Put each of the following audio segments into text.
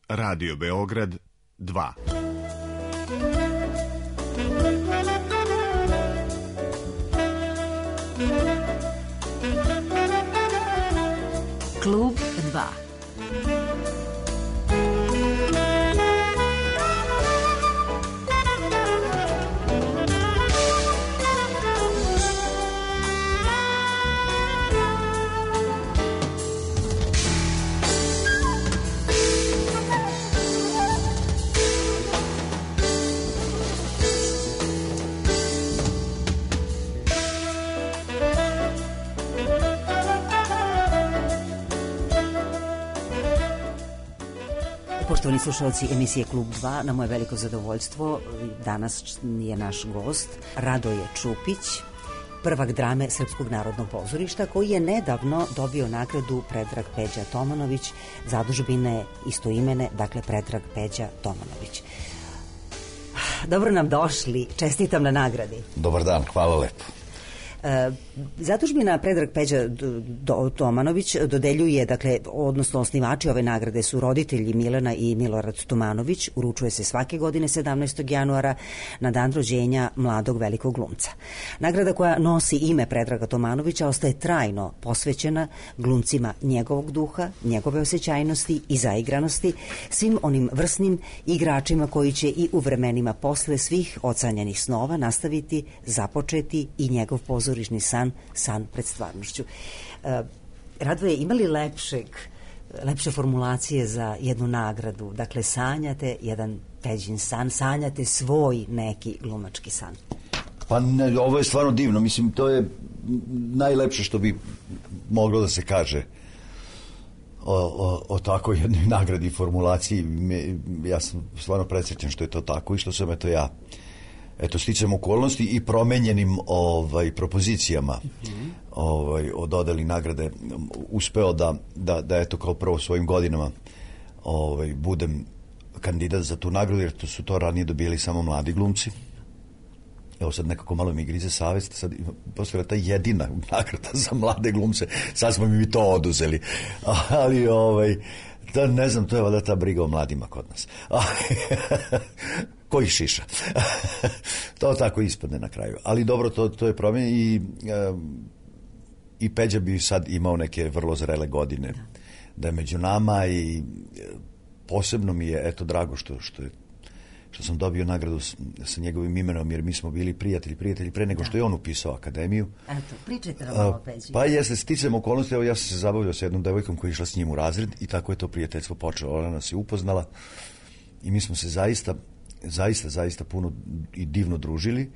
Radio Beograd 2. Klub 2. Poštovani slušalci emisije Klub 2, na moje veliko zadovoljstvo danas je naš gost Radoje Čupić, prvak drame Srpskog narodnog pozorišta, koji je nedavno dobio nagradu Predrag Peđa Tomanović, zadužbine istoimene, dakle Predrag Peđa Tomanović. Dobro nam došli, čestitam na nagradi. Dobar dan, hvala lepo. Zadužbina Predrag Peđa Tomanović dodeljuje, dakle, odnosno osnivači ove nagrade su roditelji Milena i Milorad Tomanović. Uručuje se svake godine 17. januara na dan rođenja mladog velikog glumca. Nagrada koja nosi ime Predraga Tomanovića ostaje trajno posvećena glumcima njegovog duha, njegove osjećajnosti i zaigranosti, svim onim vrsnim igračima koji će i u vremenima posle svih ocanjenih snova nastaviti, započeti i njegov pozorišni san pred stvarnošću. Radoje, ima li lepše formulacije za jednu nagradu? Dakle, sanjate jedan Peđin san, sanjate svoj neki glumački san. Pa ne, ovo je stvarno divno. Mislim, to je najlepše što bi moglo da se kaže o takvoj jednoj nagradi i formulaciji. Ja sam stvarno presrećen što je to tako i što sam ja sticam okolnosti i promenjenim propozicijama o dodeli nagrade uspeo da eto kao prvo svojim godinama budem kandidat za tu nagradu, jer su to ranije dobili samo mladi glumci. Evo sad nekako malo mi grize savest, sad posle ta jedina nagrada za mlade glumce, sad smo mi to oduzeli, ali to ne znam, to je valjda ta briga o mladima kod nas. Koji šiša. To tako ispadne na kraju. Ali dobro, to je promjen i Peđa bi sad imao neke vrlo zrele godine da je među nama i posebno mi je drago što sam dobio nagradu sa njegovim imenom, jer mi smo bili prijatelji pre nego što je on upisao akademiju. Eto, pričajte nam o Peđi. Pa jeste, sticam okolnosti, evo ja sam se zabavljao sa jednom devojkom koja je išla s njim u razred i tako je to prijateljstvo počelo. Ona nas je upoznala i mi smo se zaista puno i divno družili,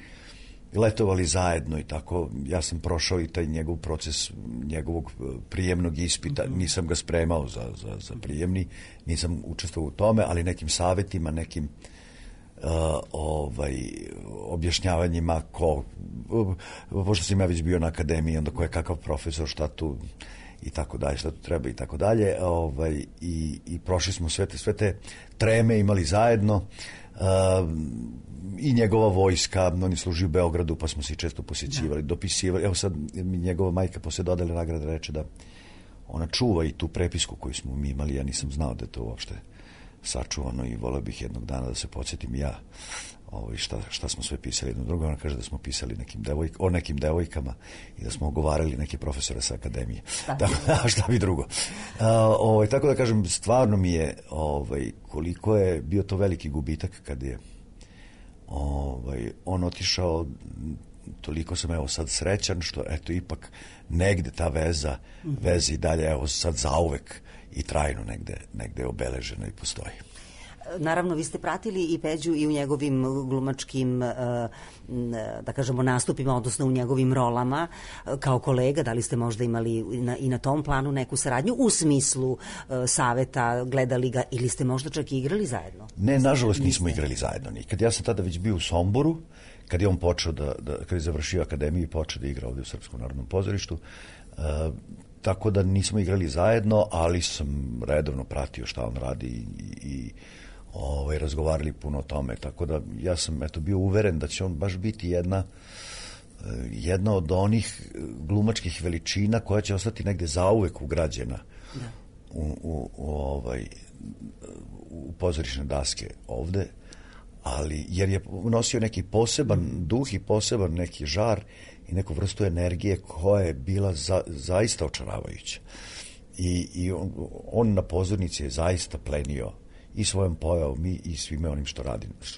letovali zajedno i tako. Ja sam prošao i taj njegov proces njegovog prijemnog ispita, nisam ga spremao za prijemni, nisam učestvovao u tome, ali nekim savetima, nekim objašnjavanjima pošto sam ja već bio na akademiji, onda ko je kakav profesor, šta tu i tako dalje, šta tu treba i tako dalje, i prošli smo sve te treme, imali zajedno. I njegova vojska, on je služio u Beogradu, pa smo se često posjećivali, dopisivali. Evo sad mi njegova majka posle dodale nagrade reče da ona čuva i tu prepisku koju smo mi imali. Ja nisam znao da je to uopšte sačuvano i voleo bih jednog dana da se podsjetim ja šta smo sve pisali jedno drugo. Ona kaže da smo pisali o nekim devojkama i da smo ogovarali neke profesore sa akademije. Šta bi drugo. Tako da kažem, stvarno mi je koliko je bio to veliki gubitak kad je on otišao. Toliko sam evo sad srećan što eto ipak negde ta veza i dalje evo sad zauvek i trajno negde obeleženo i postoji. Naravno, vi ste pratili i Peđu i u njegovim glumačkim, da kažemo, nastupima, odnosno u njegovim rolama kao kolega. Da li ste možda imali i na tom planu neku saradnju u smislu saveta, gledali ga ili ste možda čak i igrali zajedno? Ne, nažalost nismo igrali zajedno nikad. Ja sam tada već bio u Somboru, kad je on počeo kad je završio akademiju i počeo da igra ovdje u Srpskom narodnom pozorištu. Tako da nismo igrali zajedno, ali sam redovno pratio šta on radi i razgovarali puno o tome, tako da ja sam bio uveren da će on baš biti jedna od onih glumačkih veličina koja će ostati negde zauvek ugrađena pozorišne daske ovde, ali jer je nosio neki poseban duh i poseban neki žar i neku vrstu energije koja je bila zaista očaravajuća. I on na pozornici je zaista plenio i svojom pojavom i svime onim što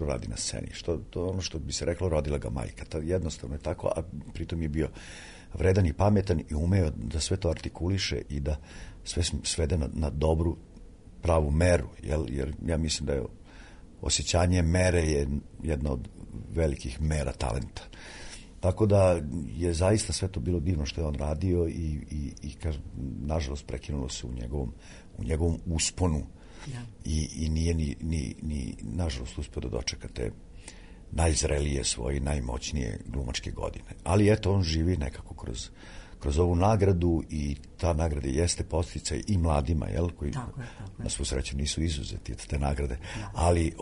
radi na sceni. To ono što bi se reklo, rodila ga majka. Jednostavno je tako, a pritom je bio vredan i pametan i umeo da sve to artikuliše i da sve svede na dobru, pravu meru. Jer ja mislim da je osjećanje mere je jedna od velikih mera talenta. Tako da je zaista sve to bilo divno što je on radio i nažalost prekinulo se u njegovom usponu. Ja. I nije ni nažalost uspio da dočeka te najzrelije svoje, najmoćnije glumačke godine. Ali eto, on živi nekako kroz ovu nagradu i ta nagrada jeste podsticaj i mladima, koji na svu sreću nisu izuzeti od te nagrade, ali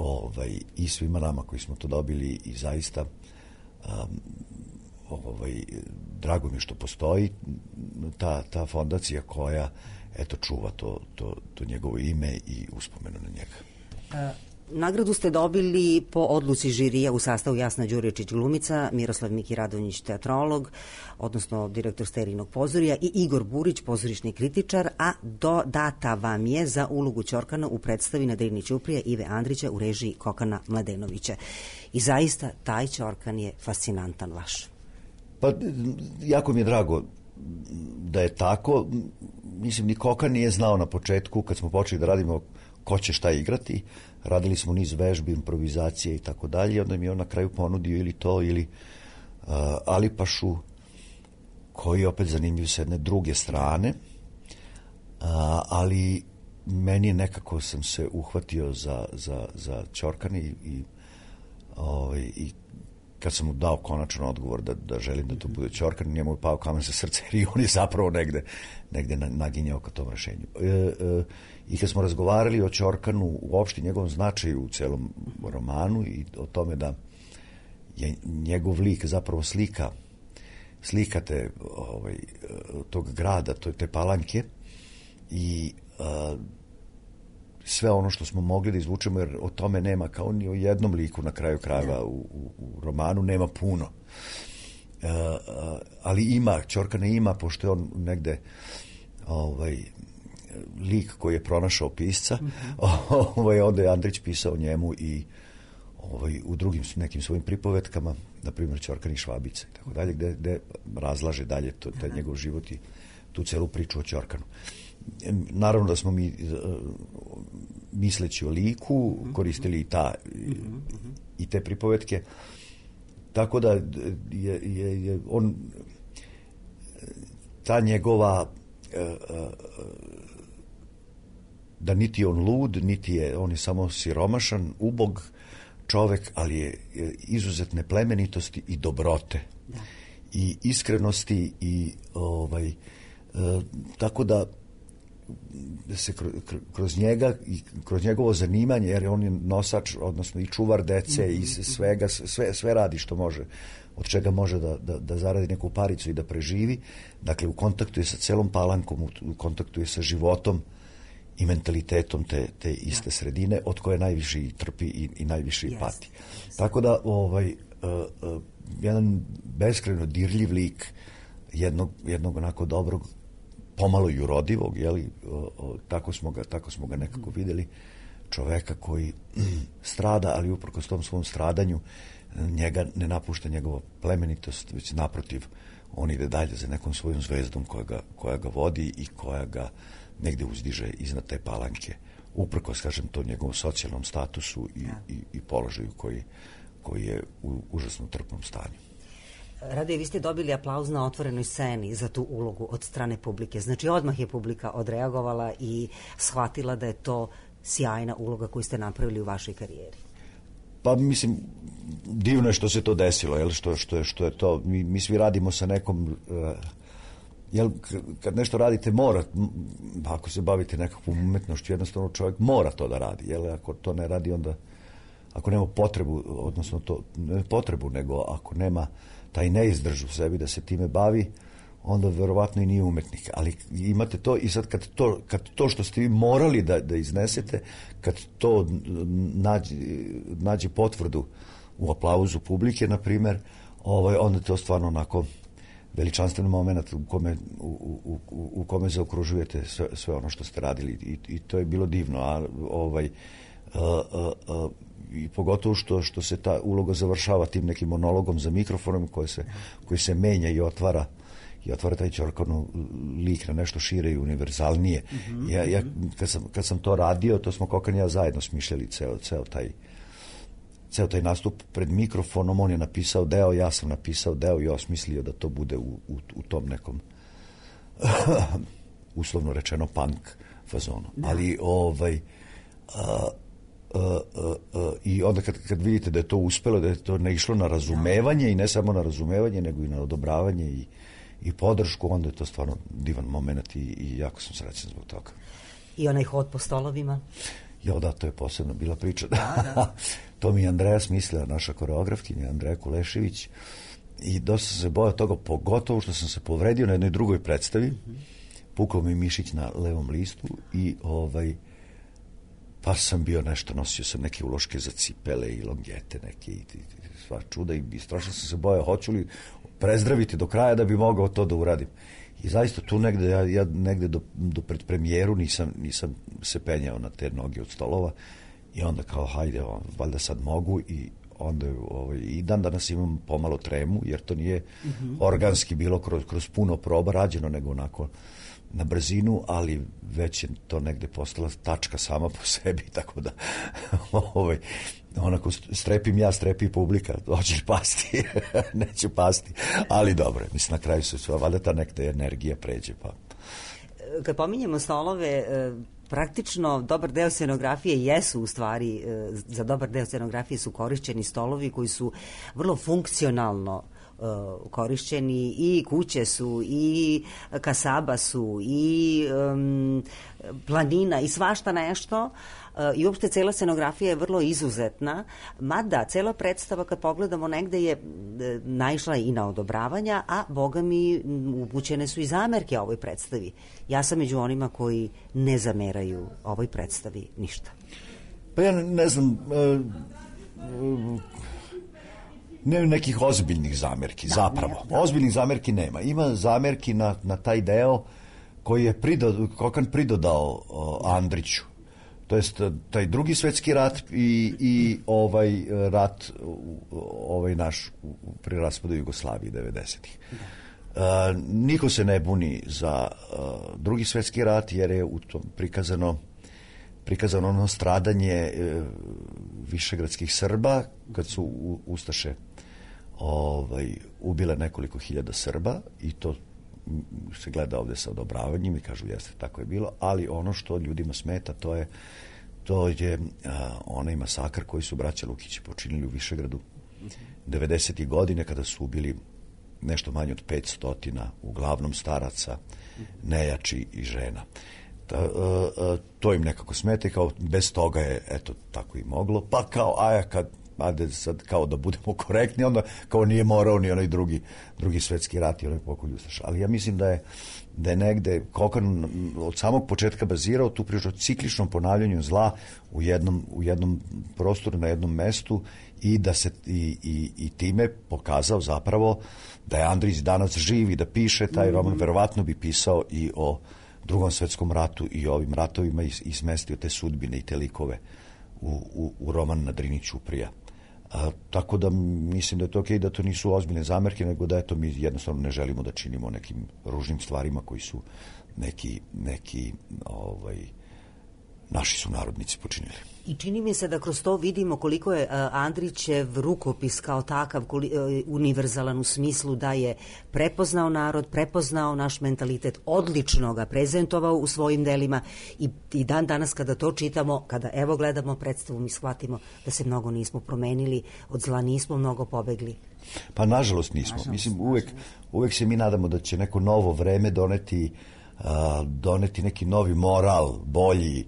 i svima nama koji smo to dobili i zaista drago mi je što postoji ta fondacija koja čuva to njegovo ime i uspomenu na njega. Nagradu ste dobili po odluci žirija u sastavu Jasna Đuričić glumica, Miroslav Miki Radonjić teatrolog, odnosno direktor Sterinog pozorija i Igor Burić pozorišni kritičar, a data vam je za ulogu Ćorkana u predstavi na Drini ćuprija Ive Andrića u režiji Kokana Mladenovića. I zaista taj Ćorkan je fascinantan vaš. Pa jako mi je drago da je tako. Mislim, ni Kokan nije znao na početku kad smo počeli da radimo ko će šta igrati. Radili smo niz vežbi, improvizacije i tako dalje. Onda mi je on na kraju ponudio ili to ili Alipašu, koji je opet zanimljiv s jedne druge strane. Ali meni nekako sam se uhvatio za Ćorkan i kad sam mu dao konačan odgovor da želim da to bude Ćorkan, njemu je pao kamen sa srca jer on je zapravo negde naginjao ka tom rešenju. I kad smo razgovarali o Ćorkanu, uopšte njegovom značaju u celom romanu i o tome da je njegov lik zapravo slika tog grada, te Palanke i sve ono što smo mogli da izvučemo, jer o tome nema, kao ni o jednom liku na kraju krajeva u romanu, nema puno. Ali ima, Ćorkana ima, pošto je on negde lik koji je pronašao pisca, onda je Andrić pisao njemu i u drugim nekim svojim pripovetkama, na primjer Ćorkan i Švabica i tako dalje, gde razlaže dalje taj njegov život i tu celu priču o Ćorkanu. Naravno da smo mi, misleći o liku, koristili i te pripovetke, tako da je on, ta njegova, da niti je on lud, on je samo siromašan, ubog čovek, ali je izuzetne plemenitosti i dobrote i iskrenosti i tako da se kroz njega i kroz njegovo zanimanje, jer on je nosač, odnosno i čuvar dece i svega, sve radi što može, od čega može da zaradi neku paricu i da preživi. Dakle, u kontaktu je sa celom Palankom, u kontaktu je sa životom i mentalitetom te iste sredine, od koje najviše i trpi i najviše i pati. Tako da jedan beskrajno dirljiv lik jednog onako dobrog, pomalo i urodivog, tako smo ga nekako videli, čoveka koji strada, ali uprkos tom svom stradanju njega ne napušta njegova plemenitost, već naprotiv, on ide dalje za nekom svojom zvezdom koja ga vodi i koja ga negde uzdiže iznad te Palanke, uprkos, kažem, to njegovom socijalnom statusu i položaju koji je u užasno trpnom stanju. Radoje, vi ste dobili aplauz na otvorenoj sceni za tu ulogu od strane publike. Znači, odmah je publika odreagovala i shvatila da je to sjajna uloga koju ste napravili u vašoj karijeri. Pa, mislim, divno je što se to desilo, što je to. Mi svi radimo sa nekom... kad nešto radite, ako se bavite nekakvom umetnošću, jednostavno čovjek mora to da radi. Ako to ne radi, onda... Ako nema potrebu, odnosno to ne potrebu, nego ako nema taj neizdrž u sebi da se time bavi, onda verovatno i nije umetnik. Ali imate to i sad kad to što ste vi morali da iznesete, kad to nađe potvrdu u aplauzu publike, na primer, onda to stvarno onako veličanstven moment u kome zaokružujete sve ono što ste radili i to je bilo divno. I pogotovo što se ta uloga završava tim nekim monologom za mikrofonom koji se menja i otvara taj Ćorkanov lik na nešto šire i univerzalnije. Ja kad sam to radio, to smo Kokan i ja zajedno smišljali ceo taj nastup pred mikrofonom. On je napisao deo, ja sam napisao deo i osmislio da to bude u tom nekom uslovno rečeno punk fazonu. Ali i onda kad vidite da je to uspelo, da je to ne išlo na razumevanje i ne samo na razumevanje, nego i na odobravanje i podršku, onda je to stvarno divan moment i jako sam srećan zbog toga. I onaj hod po stolovima? Jo, da, to je posebno bila priča. To mi je Andreja smislila, naša koreografkinja, Andreja Kulešević, i dosta sam se bojao toga, pogotovo što sam se povredio na jednoj drugoj predstavi. Pukao mi mišić na levom listu i pa sam bio nešto, nosio sam neke uloške za cipele i longete neke i sva čuda i strašno sam se bojao, hoću li prezdraviti do kraja da bi mogao to da uradim. I zaista tu negde, ja negde do predpremijeru nisam se penjao na te noge od stolova i onda kao hajde, valjda sad mogu i onda i dan danas imam pomalo tremu, jer to nije organski bilo kroz puno proba rađeno, nego onako na brzinu, ali već je to negde postala tačka sama po sebi, tako da onako strepim ja, strepi publika, hoće li pasti? Neću pasti, ali dobro, mislim, na kraju se valjda ta nekda energija pređe. Pa. Kad pominjemo stolove, praktično dobar deo scenografije jesu u stvari, za dobar deo scenografije su korišćeni stolovi koji su vrlo funkcionalno korišćeni, i kuće su, i kasaba su, i planina, i svašta nešto, i uopšte cela scenografija je vrlo izuzetna, mada cela predstava kad pogledamo negde je naišla i na odobravanja, a boga mi upućene su i zamerke ovoj predstavi. Ja sam među onima koji ne zameraju ovoj predstavi ništa. Pa ja ne znam, nema nekih ozbiljnih zamerki, zapravo. Ozbiljnih zamerki nema. Ima zamerki na taj deo koji je Kokan pridodao Andriću. To jest taj drugi svetski rat i ovaj rat naš pri raspadu Jugoslavije 90-ih. Niko se ne buni za drugi svetski rat, jer je u tom prikazano ono stradanje višegradskih Srba kad su ustaše ubile nekoliko hiljada Srba, i to se gleda ovde sa odobravanjem i kažu jeste, tako je bilo, ali ono što ljudima smeta to je onaj masakr koji su braća Lukići počinili u Višegradu 90. godine, kada su ubili nešto manje od 500, uglavnom staraca, nejači i žena. To im nekako smeta i kao bez toga je, eto, tako i moglo, pa kao, ajde sad kao da budemo korektni, onda kao nije morao ni onaj drugi svetski rat i onaj pokolj ustaša. Ali ja mislim da je negde Kokan od samog početka bazirao tu priču o cikličnom ponavljanju zla u jednom prostoru, na jednom mestu, i da se i time pokazao zapravo da je Andrić danas živ i da piše taj roman, verovatno bi pisao i o Drugom svetskom ratu i ovim ratovima i smestio te sudbine i te likove u roman Na Drini ćuprija. Tako da mislim da je to okej, da to nisu ozbiljne zamerke, nego da eto mi jednostavno ne želimo da činimo nekim ružnim stvarima koji su neki naši sunarodnici počinili. I čini mi se da kroz to vidimo koliko je Andrićev rukopis kao takav univerzalan u smislu da je prepoznao narod, prepoznao naš mentalitet, odlično ga prezentovao u svojim delima, i dan danas kada to čitamo, kada evo gledamo predstavu, mi shvatimo da se mnogo nismo promenili, od zla nismo mnogo pobegli. Pa nažalost nismo. Mislim, uvek se mi nadamo da će neko novo vreme doneti neki novi moral, bolji,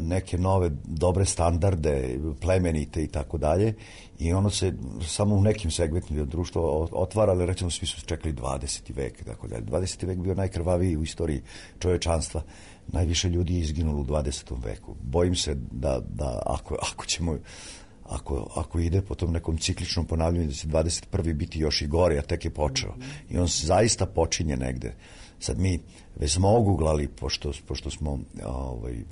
neke nove dobre standarde, plemenite i tako dalje, i ono se samo u nekim segmentima društva otvara, ali recimo svi su čekali 20. vek i tako dalje. 20. vek bio najkrvaviji u istoriji čovečanstva. Najviše ljudi je izginulo u 20. veku. Bojim se da ako ćemo, ako ide po tom nekom cikličnom ponavljanju, da će 21. biti još i gore, a tek je počeo. I on zaista počinje negde. Sad mi već smo oguglali, pošto smo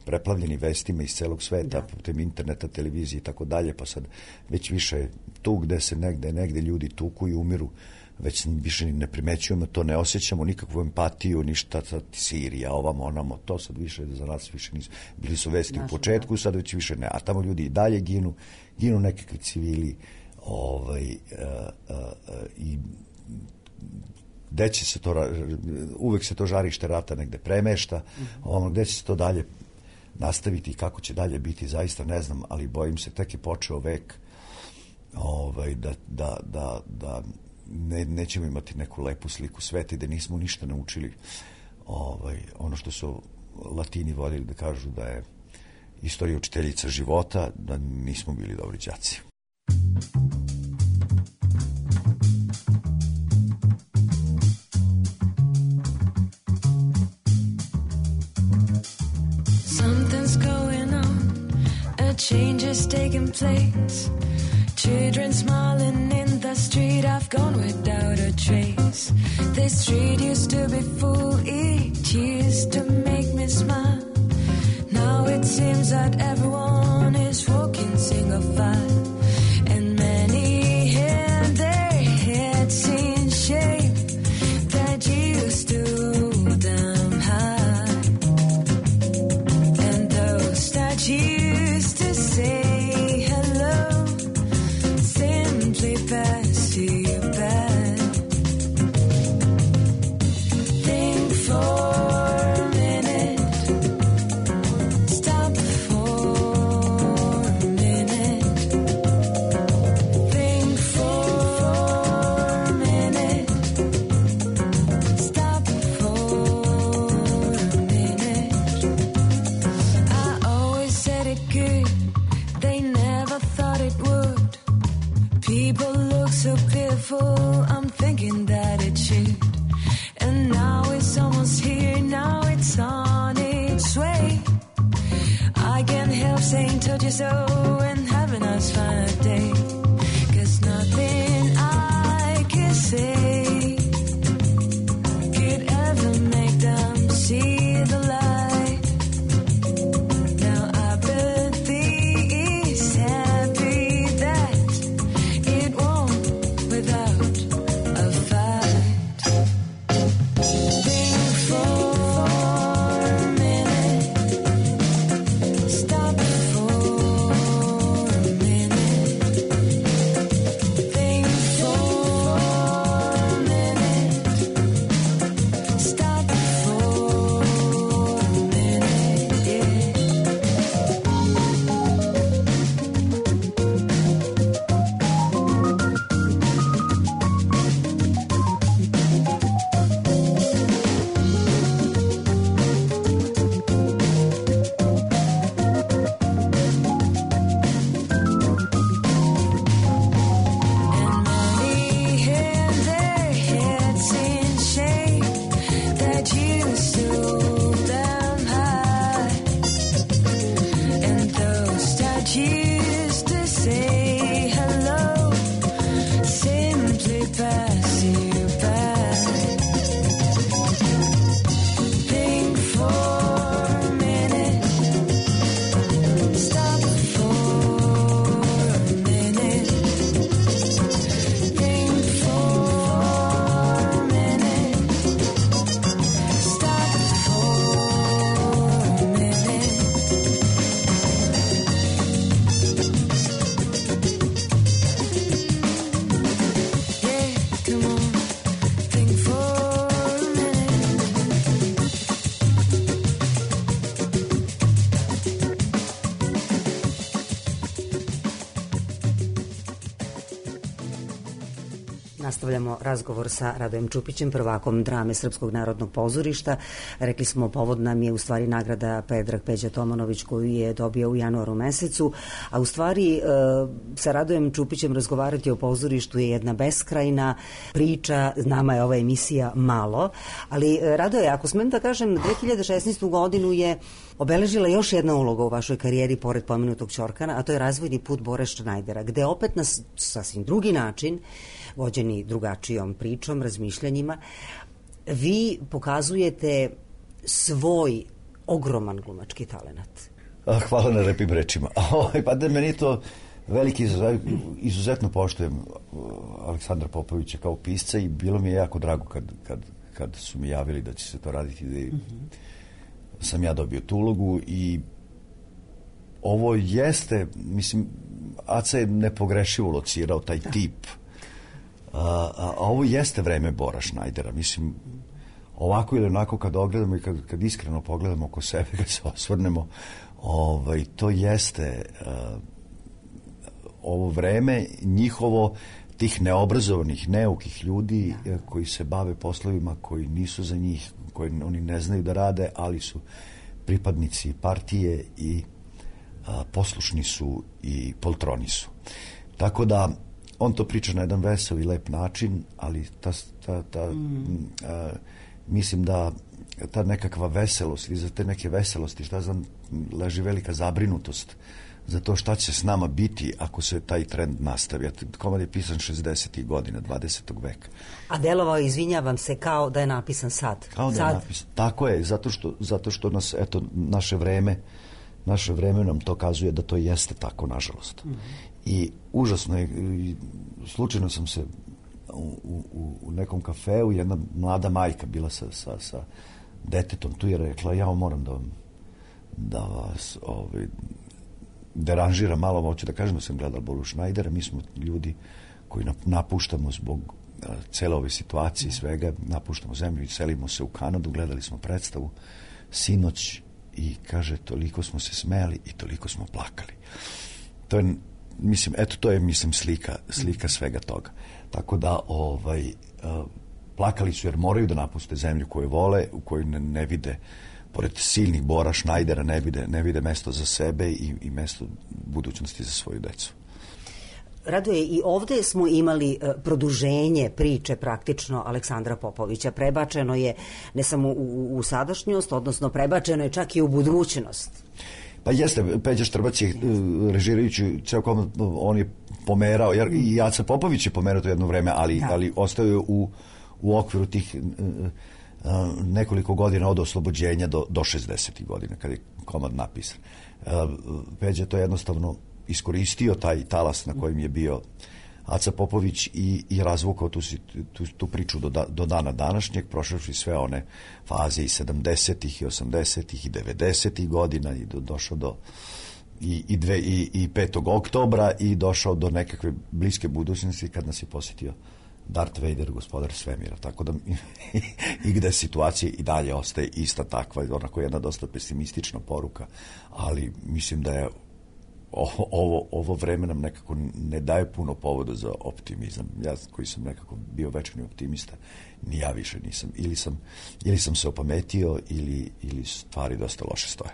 preplavljeni vestima iz celog sveta, putem interneta, televizije i tako dalje, pa sad već više tu gde se negde ljudi tuku i umiru, već više ne primećujemo, to ne osjećamo, nikakvu empatiju, ništa, sad Sirija, ovamo, onamo, to sad više za nas više nisu. Bili su vesti u početku, sad već više ne, a tamo ljudi i dalje ginu nekakvi civili, i gde će se to, uvek se to žarište rata negde premešta, gde će se to dalje nastaviti i kako će dalje biti, zaista ne znam, ali bojim se, tek je počeo vek, da nećemo imati neku lepu sliku sveta i da nismo ništa naučili, ono što su Latini voljeli da kažu da je istorija učiteljica života, da nismo bili dobri đaci. Something's going on, a change is taking place. Children smiling in the street, I've gone without a trace. This street used to be full, it used to make me smile. Now it seems that everyone is walking single file, and many have their heads in shape that used to hold them high, and those that used to say pass you by. Think for a minute, stop for a minute. Think for a minute, stop for a minute. I always said it could, they never thought it would. People look so fearful, I'm thinking that it should. And now it's almost here, now it's on its way. I can't help saying told you so and have a nice fine day. 'Cause nothing I can say could ever make them see the light. Now I believe it's happy that it won't without a fight. Think for a minute, stop for Nastavljamo razgovor sa Radojem Čupićem, prvakom drame Srpskog narodnog pozorišta. Rekli smo, povod nam je u stvari nagrada Predrag Peđa Tomanović koju je dobio u januaru mesecu, a u stvari sa Radojem Čupićem razgovarati o pozorištu je jedna beskrajna priča. Nama je ova emisija malo, ali Radoje, ako smem da kažem, 2016. godinu je obeležila još jedna uloga u vašoj karijeri pored pomenutog Ćorkana, a to je razvojni put Bore Šnajdera, gde opet na sasvim drugi način, vođeni drugačijom pričom, razmišljanjima, vi pokazujete svoj ogroman glumački talenat. Hvala na lepim rečima. Pa da meni to veliki izuzetno poštujem Aleksandra Popovića kao pisca i bilo mi je jako drago kad su mi javili da će se to raditi, da sam ja dobio tu ulogu i ovo jeste, mislim, Aca je nepogrešivo locirao taj tip, a ovo jeste vreme Bora Šnajdera, mislim, ovako ili onako kad ogledamo i kad iskreno pogledamo oko sebe, kad se osvrnemo, to jeste ovo vreme njihovo, tih neobrazovanih, neukih ljudi koji se bave poslovima koji nisu za njih, koji oni ne znaju da rade, ali su pripadnici partije i poslušni su i poltroni su. Tako da on to priča na jedan vesel i lep način, ali mislim da ta nekakva veselost, i za te neke veselosti, šta znam, leži velika zabrinutost za to šta će s nama biti ako se taj trend nastavi. Komad je pisan 60. godina 20. veka. A delovao, izvinjavam se, kao da je napisan sad. Kao da je napisan. Tako je, zato što nas, eto, naše vreme nam to kazuje da to jeste tako, nažalost. I užasno je, slučajno sam se u nekom kafeu, jedna mlada majka bila sa detetom tu je rekla, ja moram da vas deranžira malo, hoću da kažem da sam gledala Boru Šnajdera, mi smo ljudi koji napuštamo zbog cele ove situacije i svega, napuštamo zemlju i selimo se u Kanadu, gledali smo predstavu sinoć i kaže, toliko smo se smejali i toliko smo plakali. To je, mislim, eto, to je, mislim, slika svega toga. Tako da, plakali su jer moraju da napuste zemlju koju vole, u kojoj ne vide, pored silnih Bora Šnajdera, ne vide mesto za sebe i mesto budućnosti za svoju decu. Radoje, i ovde smo imali produženje priče praktično Aleksandra Popovića. Prebačeno je ne samo u sadašnjost, odnosno prebačeno je čak i u budućnost. Pa jeste, Peđa Štrbac je režirajući ceo komad, on je pomerao, jer i Aca Popović je pomerao to jedno vreme, ali ostao je u okviru tih nekoliko godina od oslobođenja do 60. godina, kada je komad napisan. Peđa to jednostavno iskoristio, taj talas na kojem je bio Aca Popović i razvukao tu priču do dana današnjeg, prošavši sve one faze i 70-ih i 80-ih i 90-ih godina i došao do i 5. oktobra i došao do nekakve bliske budućnosti kad nas je posjetio Darth Vader, gospodar svemira, tako da i gde situacija i dalje ostaje ista takva, onako jedna dosta pesimistična poruka, ali mislim da je ovo vreme nam nekako ne daje puno povoda za optimizam. Ja koji sam nekako bio večni optimista, ni ja više nisam. Ili sam se opametio ili stvari dosta loše stoje.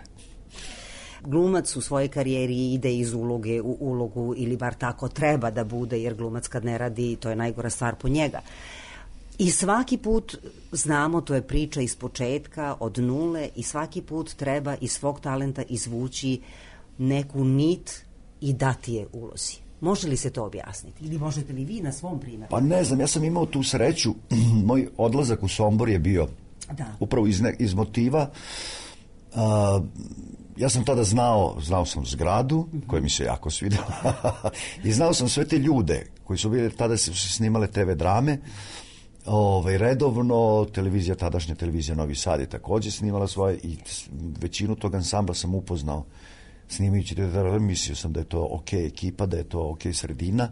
Glumac u svojoj karijeri ide iz uloge u ulogu, ili bar tako treba da bude, jer glumac kad ne radi, to je najgora stvar po njega. I svaki put, znamo, to je priča iz početka, od nule, i svaki put treba iz svog talenta izvući neku nit i dati je ulozi. Može li se to objasniti? Ili možete li vi na svom primjeru? Pa ne znam, ja sam imao tu sreću. Moj odlazak u Sombor je bio upravo iz motiva. Ja sam tada znao sam zgradu, koja mi se jako svidela, i znao sam sve te ljude koji su bili, tada se snimale TV drame, redovno, tadašnja televizija Novi Sad je takođe snimala svoje i većinu tog ansambla sam upoznao snimajući te drame, mislio sam da je to ok ekipa, da je to ok sredina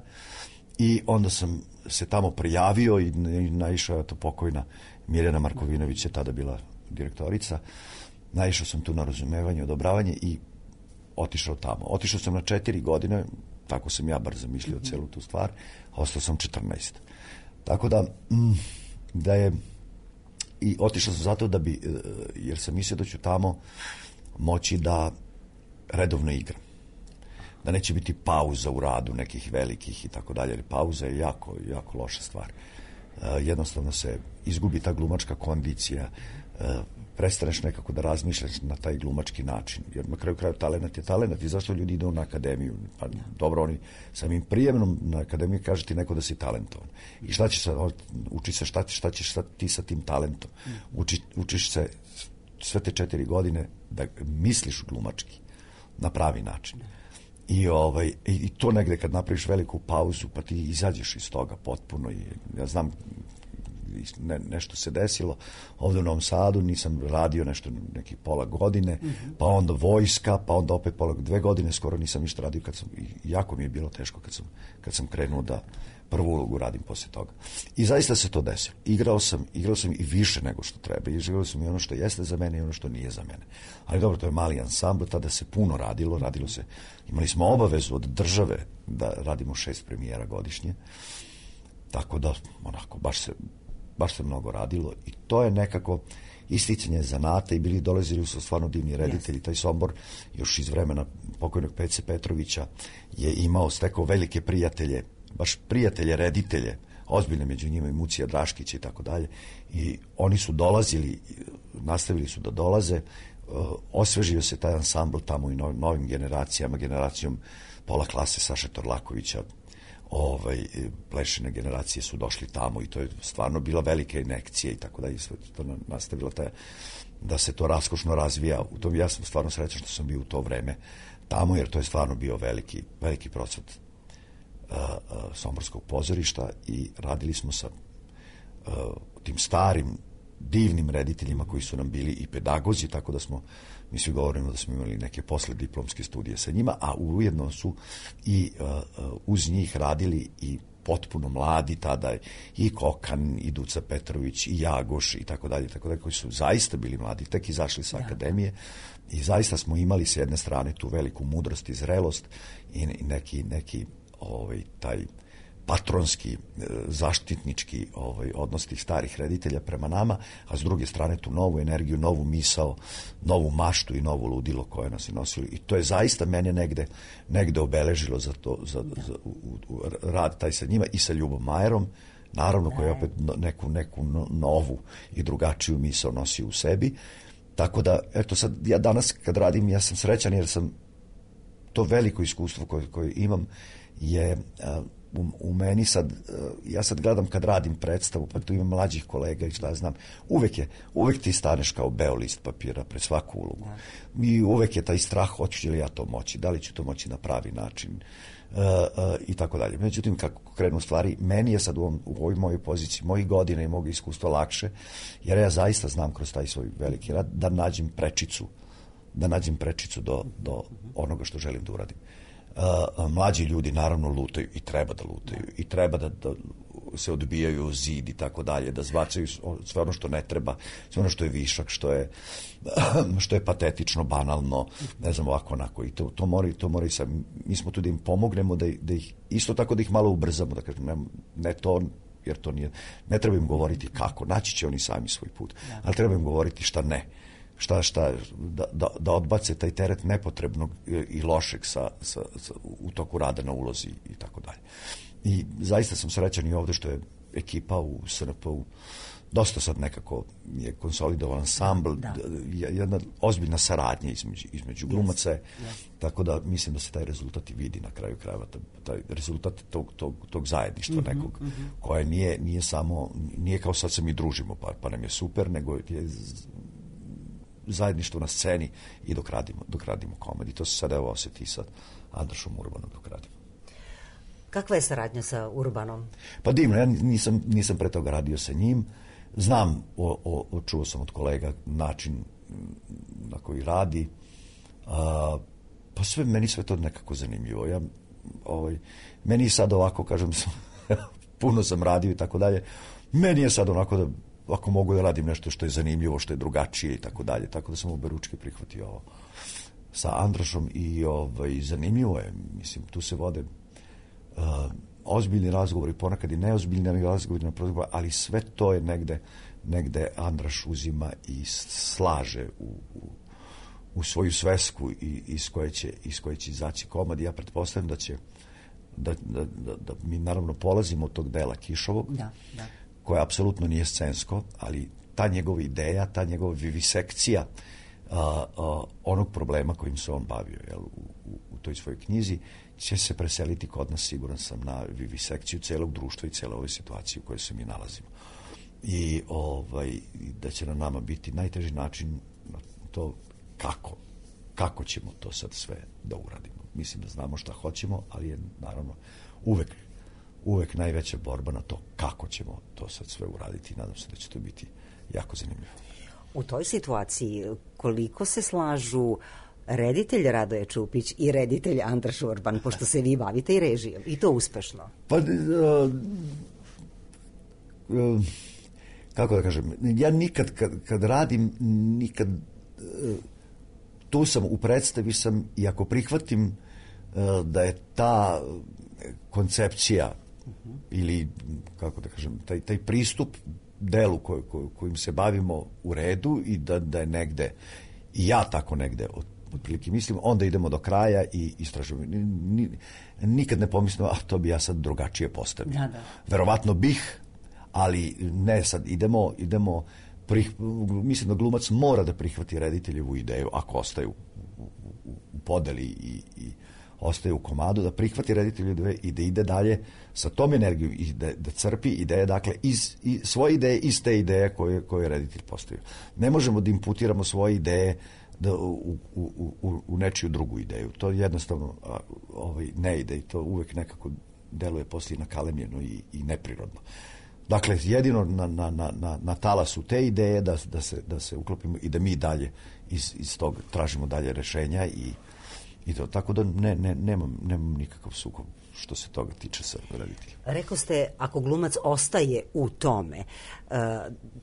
i onda sam se tamo prijavio i naišao je to pokojna Mirjana Markovinović je tada bila direktorica. Naišao sam tu na razumevanje, odobravanje i otišao tamo. Otišao sam na 4 godine, tako sam ja bar zamišljao celu tu stvar, a ostao sam 14. Tako da je, i otišao sam zato da bi, jer sam mislio da ću tamo moći da redovno igram. Da neće biti pauza u radu nekih velikih i tako dalje, jer pauza je jako, jako loša stvar. Jednostavno se izgubi ta glumačka kondicija, prestaneš nekako da razmišljaš na taj glumački način, jer na kraju talent je talent i zašto ljudi idu na akademiju? Pa dobro, oni samim prijemnom na akademiju kaže ti neko da si talentovan. I šta ćeš sad, uči se šta ćeš sad ti sa tim talentom? Učiš se sve te 4 godine da misliš glumački na pravi način. I to negde kad napraviš veliku pauzu, pa ti izađeš iz toga potpuno. I ja znam, nešto se desilo ovde u Novom Sadu, nisam radio nešto neki pola godine, pa onda vojska, pa onda opet 2 godine skoro nisam ništa radio, jako mi je bilo teško kad sam krenuo da prvu ulogu radim posle toga. I zaista se to desilo. Igrao sam i više nego što treba. Igrao sam i ono što jeste za mene i ono što nije za mene. Ali dobro, to je mali ansambl, tada se puno radilo se, imali smo obavezu od države da radimo 6 premijera godišnje, tako da onako, baš se mnogo radilo i to je nekako isticanje zanata i dolazili su stvarno divni reditelji. Taj Sombor još iz vremena pokojnog Pece Petrovića je stekao velike prijatelje, baš prijatelje reditelje, ozbiljne među njima i Mucija Draškić i tako dalje, i oni su dolazili, nastavili su da dolaze, osvežio se taj ansambl tamo i novim generacijom pola klase Saše Torlakovića, plešine generacije su došli tamo i to je stvarno bila velika injekcija i tako da je sve to nastavilo da se to raskošno razvija. Ja sam stvarno srećan što sam bio u to vreme tamo, jer to je stvarno bio veliki procvat somborskog pozorišta i radili smo sa tim starim divnim rediteljima koji su nam bili i pedagozi, tako da mi svi govorimo da smo imali neke poslediplomske studije sa njima, a ujedno su i uz njih radili i potpuno mladi tada i Kokan, i Duca Petrović, i Jagoš i tako dalje, koji su zaista bili mladi, tek izašli sa akademije i zaista smo imali s jedne strane tu veliku mudrost i zrelost i neki taj patronski, zaštitnički odnos tih starih reditelja prema nama, a s druge strane tu novu energiju, novu misao, novu maštu i novu ludilo koje nas je nosilo. I to je zaista mene negde obeležilo za to, za rad taj sa njima i sa Ljubom Majerom, naravno, koja je opet neku novu i drugačiju misao nosi u sebi. Tako da, eto sad, ja danas kad radim, ja sam srećan jer sam to veliko iskustvo koje imam je u meni sad, ja sad gledam kad radim predstavu, pa tu imam mlađih kolega i šta ja znam, uvek ti staneš kao beo list papira pred svaku ulogu. I uvek je taj strah, hoću li ja to moći, da li ću to moći na pravi način i tako dalje. Međutim, kako krenu stvari, meni je sad u ovoj mojoj poziciji, mojih godina i mog iskustva lakše, jer ja zaista znam kroz taj svoj veliki rad da nađem prečicu do onoga što želim da uradim. Mlađi ljudi naravno lutaju i treba da lutaju i treba da se odbijaju o zid i tako dalje, da zbacaju sve ono što ne treba, sve ono što je višak, što je patetično, banalno, ne znam, ovako, onako, i to mora i sad, mi smo tu da im pomognemo, da ih, isto tako da ih malo ubrzamo, da kažem, ne to, jer to nije, ne treba im govoriti kako, naći će oni sami svoj put, ali treba im govoriti šta ne, da odbace taj teret nepotrebnog i lošeg u toku rada na ulozi i tako dalje. I zaista sam srećan i ovde što je ekipa u SNP-u dosta sad nekako je konsolidovan ansambl, jedna ozbiljna saradnja između glumaca, tako da mislim da se taj rezultat i vidi na kraju krajeva, taj rezultat tog zajedništva nekog, koje nije samo, nije kao sad se mi družimo pa nam je super, nego je zajedništvo na sceni i dok radimo komediju. To se sad evo osjeti sa Andrašom Urbanom dok radimo. Kakva je saradnja sa Urbanom? Pa divno, ja nisam pre toga radio sa njim. Znam, čuo sam od kolega način na koji radi. Pa meni sve to nekako zanimljivo. Meni je sad ovako, kažem, puno sam radio i tako dalje. Meni je sad onako da ako mogu da radim nešto što je zanimljivo, što je drugačije i tako dalje. Tako da sam oberučke prihvatio ovo sa Andrašom i zanimljivo je. Mislim, tu se vode ozbiljni razgovori, ponekad i neozbiljni razgovori, ali sve to je negde Andraš uzima i slaže u svoju svesku i iz koje će izaći komad. Ja pretpostavljam da će da mi naravno polazimo od tog dela Kišovog, koje apsolutno nije scensko, ali ta njegova ideja, ta njegova vivisekcija onog problema kojim se on bavio u toj svojoj knjizi će se preseliti kod nas, siguran sam, na vivisekciju celog društva i cele ove situacije u kojoj se mi nalazimo. I da će na nama biti najteži način to kako ćemo to sad sve da uradimo. Mislim da znamo šta hoćemo, ali je naravno uvek najveća borba na to kako ćemo to sad sve uraditi i nadam se da će to biti jako zanimljivo. U toj situaciji koliko se slažu reditelj Radoje Čupić i reditelj Andraš Urban, pošto se vi bavite i režijom, i to uspešno? Pa, kako da kažem, ja nikad kad radim, nikad tu sam, u predstavi sam, i ako prihvatim da je ta koncepcija ili, kako da kažem, taj pristup delu kojim se bavimo u redu i da je negde, i ja tako negde otprilike mislim, onda idemo do kraja i istražujemo. Nikad ne pomislim, to bi ja sad drugačije postavio. Verovatno bih, ali ne, sad idemo mislim da glumac mora da prihvati rediteljevu ideju, ako ostaje u podeli i ostaje u komadu, da prihvati rediteljevu ideju i da ide dalje sa tom energijom i da crpi ideje, dakle, svoje ideje iz te ideje koje je reditelj postavio. Ne možemo da imputiramo svoje ideje u nečiju drugu ideju. To jednostavno ne ide i to uvek nekako deluje poslije nakalemljeno i neprirodno. Dakle, jedino na talasu te ideje da se uklopimo i da mi dalje iz toga tražimo dalje rešenja i to. Tako da nemam nikakav sukob što se toga tiče sa rediteljem. Rekao ste, ako glumac ostaje u tome,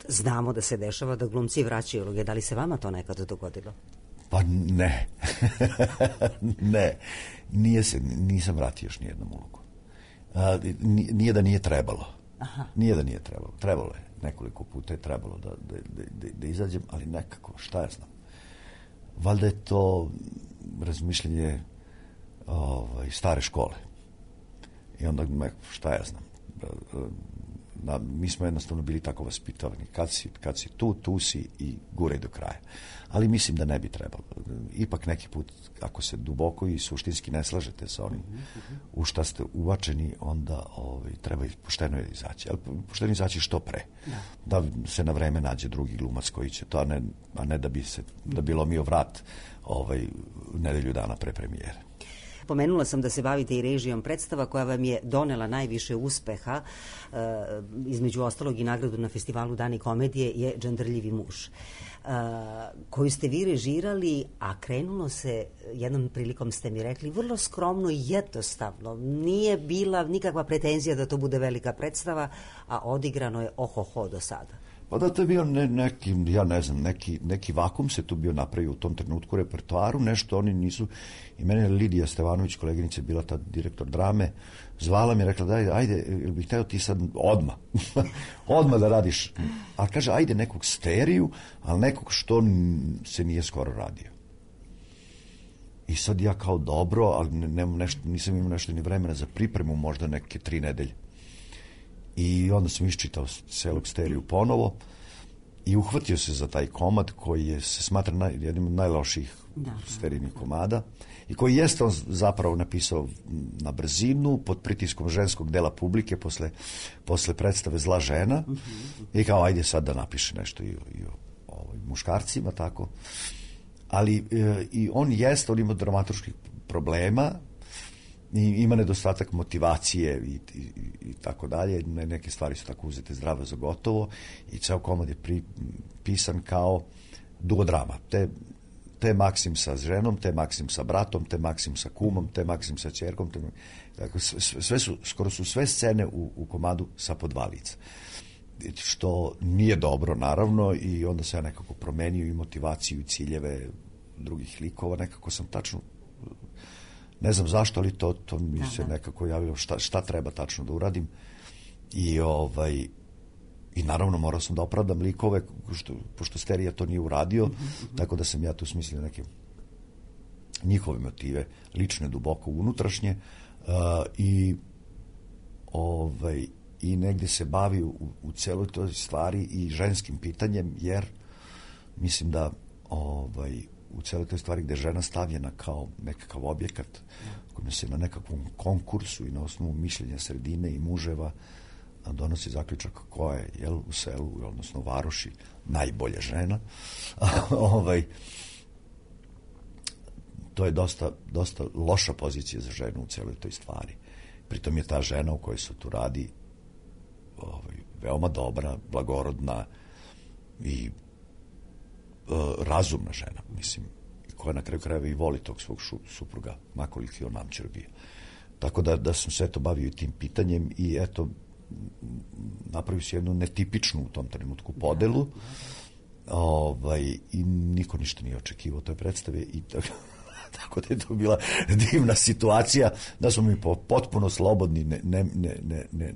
znamo da se dešava da glumci vraćaju uloge. Da li se vama to nekada dogodilo? Pa ne. Ne. Nisam vratio još nijednom ulogu. Nije da nije trebalo. Nije da nije trebalo. Trebalo je. Nekoliko puta je trebalo da izađem, ali nekako, šta ja znam. Valjda je to razmišljanje stare škole. I onda, šta ja znam. Mi smo jednostavno bili tako vaspitavani. Kad si tu si i guraj do kraja. Ali mislim da ne bi trebalo. Ipak neki put, ako se duboko i suštinski ne slažete sa onim u šta ste uvačeni, onda treba pošteno izaći. Ali pošteno izaći što pre. Da se na vreme nađe drugi glumac koji će to, a ne da bi lomio vrat nedelju dana pre premijere. Pomenula sam da se bavite i režijom predstava koja vam je donela najviše uspeha, između ostalog i nagradu na festivalu Dani komedije, je Džandrljivi muž, koju ste vi režirali, a krenulo se, jednom prilikom ste mi rekli, vrlo skromno i jednostavno. Nije bila nikakva pretenzija da to bude velika predstava, a odigrano je ohoho do sada. Pa da, to je bio neki, ja ne znam, neki vakum se tu bio napravio u tom trenutku u repertoaru, nešto oni nisu, i mene je Lidija Stevanović, koleginica, je bila tad direktor drame, zvala mi i rekla, ajde, bih hteo ti sad odmah da radiš, a kaže, ajde nekog steriju, ali nekog što se nije skoro radio. I sad ja kao dobro, ali nisam imao nešto ni vremena za pripremu, možda neke 3 nedelje. I onda sam iščitao celog steriju ponovo i uhvatio se za taj komad koji se smatra jednim od najlošijih sterijnih komada i koji jeste on zapravo napisao na brzinu pod pritiskom ženskog dela publike posle predstave Zla žena i kao ajde sad da napiše nešto i o muškarcima, tako. Ali i on ima dramaturških problema, ima nedostatak motivacije i tako dalje, neke stvari su tako uzete zdravo za gotovo i ceo komad je pisan kao duodrama. Te Maksim sa ženom, te Maksim sa bratom, te Maksim sa kumom, te Maksim sa ćerkom, skoro su sve scene u komadu sa po 2 lica. Što nije dobro, naravno, i onda se ja nekako promenio i motivaciju i ciljeve drugih likova, nekako sam tačno Ne znam zašto, ali to mi se nekako javilo šta treba tačno da uradim. I naravno morao sam da opravdam likove, pošto Sterija to nije uradio, tako da sam ja tu smislio neke njihove motive, lične, duboko unutrašnje, i negde se bavi u celoj toj stvari i ženskim pitanjem, jer mislim da u celoj toj stvari gde je žena stavljena kao nekakav objekat kojim se na nekakvom konkursu i na osnovu mišljenja sredine i muževa donosi zaključak koja je u selu, odnosno varoši, najbolja žena. To je dosta loša pozicija za ženu u celoj toj stvari. Pritom je ta žena u kojoj se tu radi veoma dobra, blagorodna i razumna žena, mislim, koja na kraju krajeva i voli tog svog supruga, makoliki on namćer bio. Tako da sam sve to bavio i tim pitanjem i eto, napravio se jednu netipičnu u tom trenutku podelu, i niko ništa nije očekivao toj predstave i tako da je to bila divna situacija, da smo mi potpuno slobodni,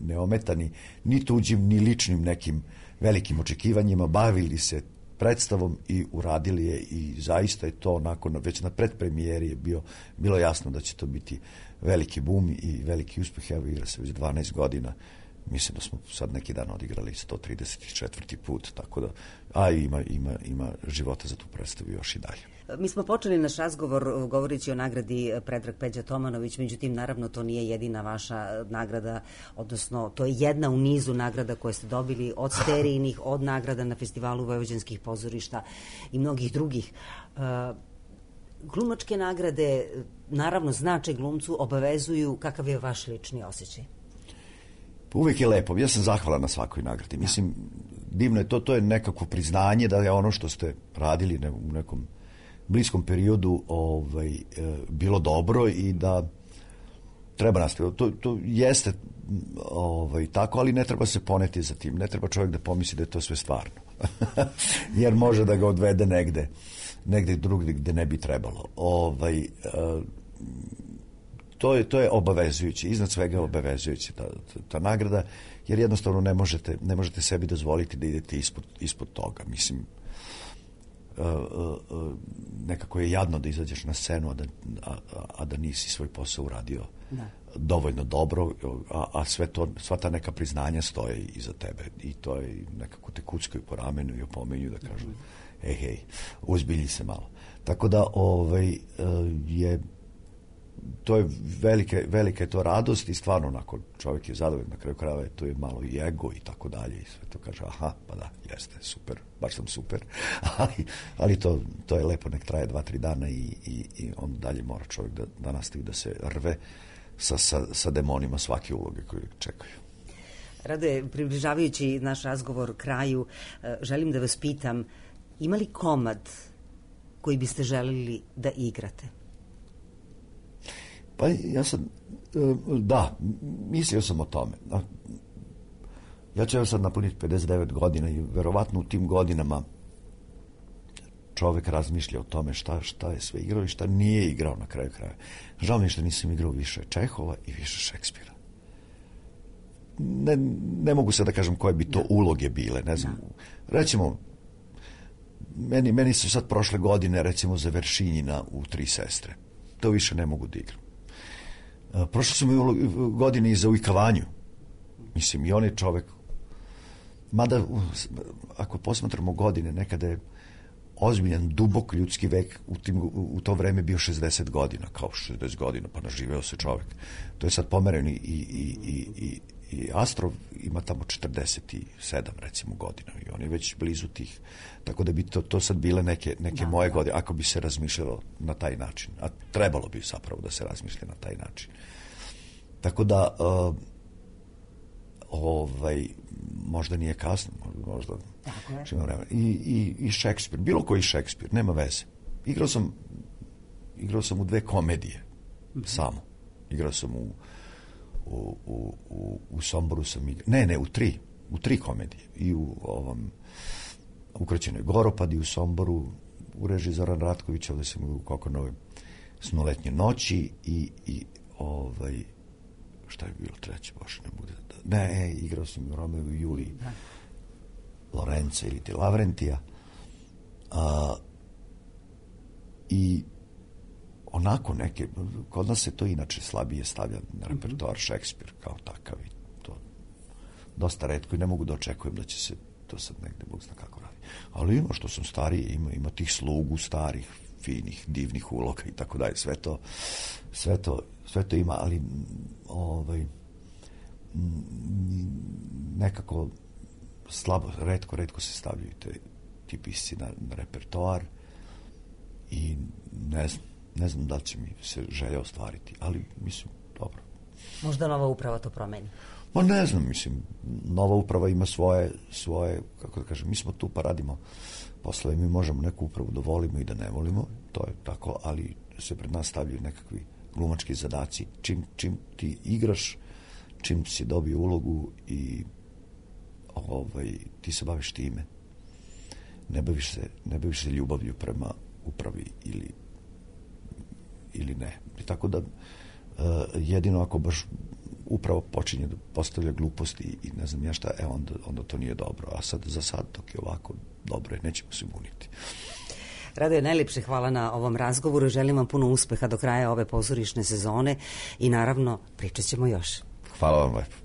neometani ni tuđim, ni ličnim nekim velikim očekivanjima, bavili se predstavom i uradili je i zaista je to onako, već na predpremijeri je bilo jasno da će to biti veliki bum i veliki uspeh. Evo, igra se već 12 godina. Mislim da smo sad neki dan odigrali 134. put, tako da, ima života za tu predstavu još i dalje. Mi smo počeli naš razgovor govoreći o nagradi Predrag Peđa Tomanović, međutim, naravno, to nije jedina vaša nagrada, odnosno, to je jedna u nizu nagrada koje ste dobili od Sterijinih, od nagrada na Festivalu vojvođanskih pozorišta i mnogih drugih. Glumačke nagrade, naravno, znače glumcu, obavezuju. Kakav je vaš lični osjećaj? Uvijek je lepo. Ja sam zahvalan na svakoj nagradi. Mislim, divno je to je nekako priznanje da je ono što ste radili u nekom bliskom periodu bilo dobro i da treba nastaviti. To jeste tako, ali ne treba se poneti za tim. Ne treba čovjek da pomisli da je to sve stvarno. Jer može da ga odvede negde drugdje gde ne bi trebalo. To je obavezujuće, iznad svega obavezujuće ta nagrada, jer jednostavno ne možete sebi dozvoliti da idete ispod toga. Mislim, nekako je jadno da izađeš na scenu, a da nisi svoj posao uradio dovoljno dobro, a sva ta neka priznanja stoje iza tebe i to je nekako te kuckaju po ramenu i opomenju da kažu hej, uzbilji se malo. Tako da to je velika je to radost i stvarno onako čovjek je zadovoljan, na kraju krajeva to je malo i ego i tako dalje i sve to kaže pa da, jeste, super, baš sam super, ali to je lepo, nek traje 2-3 dana i onda dalje mora čovjek da nastavi da se rve sa demonima svake uloge koje čekaju. Rade, približavajući naš razgovor kraju, želim da vas pitam, ima li komad koji biste želili da igrate? Pa ja sam, mislio sam o tome. Ja ću sad napuniti 59 godina i verovatno u tim godinama čovek razmišlja o tome šta je sve igrao i šta nije igrao na kraju kraja. Žao mi je što nisam igrao više Čehova i više Šekspira. Ne mogu sad da kažem koje bi to uloge bile, ne znam. Recimo, meni su sad prošle godine, recimo, za Veršinjina u Tri sestre. To više ne mogu da igram. Prošle su mi godine i za Ujkavanju. Mislim, i on je čovek. Mada, ako posmatramo godine, nekada je ozbiljan, dubok ljudski vek u to vreme bio 60 godina, kao 60 godina, pa naživeo se čovek. To je sad pomereno i Astrov ima tamo 47, recimo, godina i on je već blizu tih. Tako da bi to sad bile neke moje godine, ako bi se razmišljalo na taj način. A trebalo bi zapravo da se razmišlja na taj način. Tako da možda nije kasno, možda i Šekspir, bilo koji Šekspir, nema veze. Igrao sam u 2 komedije samo. Igrao sam u Somboru sam igrao, ne, u 3 komedije. I u Ukraćenoj Goropadi u Somboru, u režiji Zoran Ratković, ovdje sam u Kokonovoj Snoletnje noći i šta je bilo treće, baš ne bude. Ne, igrao sam u Romeo i Juliji. Lorenza ili ti Lavrentija. I onako neke, kod nas se to inače slabije stavlja na repertoar, Šekspir kao takav i to dosta retko i ne mogu da očekujem da će se to sad negde Bog zna kako radi. Ali ima što sam stariji, ima tih slugu starih, finih, divnih uloga i tako dalje, sve to ima, ali nekako slabo, retko se stavljaju ti pisci na repertoar i ne znam da li će mi se želja ostvariti, ali mislim, dobro. Možda nova uprava to promeni? Ma ne znam, mislim, nova uprava ima svoje, kako da kažem, mi smo tu pa radimo poslove, mi možemo neku upravu da volimo i da ne volimo, to je tako, ali se pred nas stavljaju nekakvi glumački zadaci, čim ti igraš, čim si dobio ulogu i ti se baviš time. Ne baviš se ljubavlju prema upravi ili ne. I tako da jedino ako baš upravo počinje da postavlja gluposti i ne znam ja šta, onda to nije dobro. A za sad dok je ovako dobro je, nećemo se buniti. Radoje, najljepše hvala na ovom razgovoru. Želim vam puno uspeha do kraja ove pozorišne sezone i naravno pričat ćemo još. Hvala vam lepo.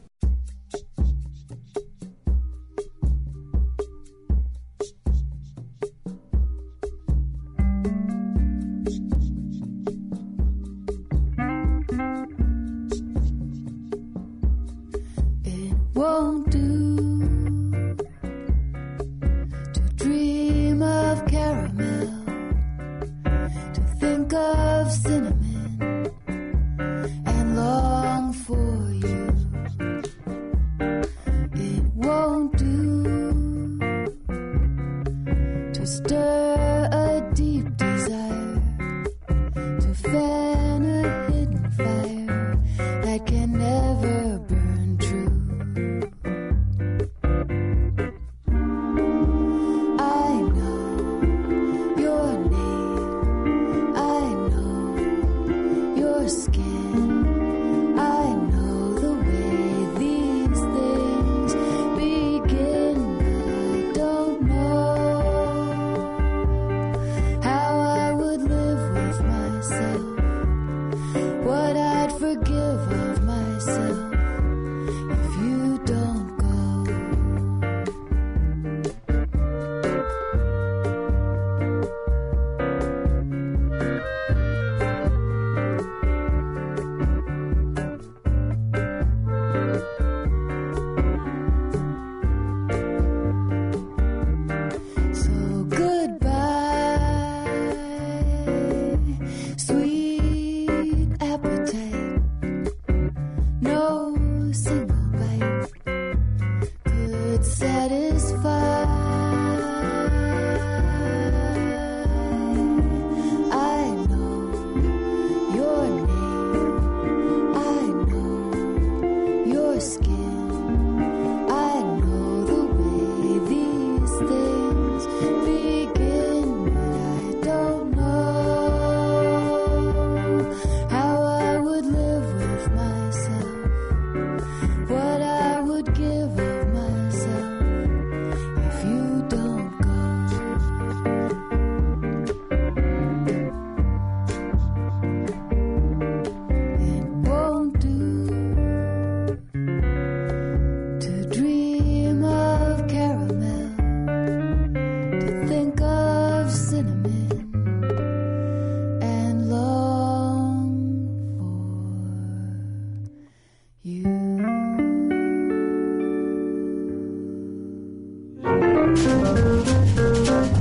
Won't do to dream of caramel, to think of cinnamon and long for you. It won't do to stir a deep desire, to fan a hidden fire that can never burn true.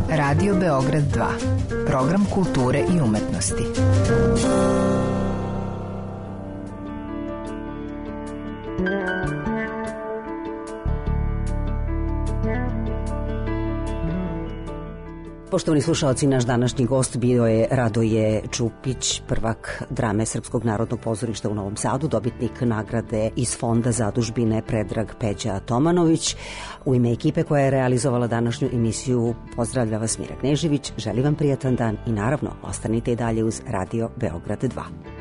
Radio Beograd 2. Program kulture i umetnosti. Poštovani slušalci, naš današnji gost bio je Radoje Čupić, prvak drame Srpskog narodnog pozorišta u Novom Sadu, dobitnik nagrade iz Fonda zadužbine Predrag Peđa Tomanović. U ime ekipe koja je realizovala današnju emisiju pozdravlja vas Mira Knežević, želim vam prijatan dan i naravno ostanite i dalje uz Radio Beograd 2.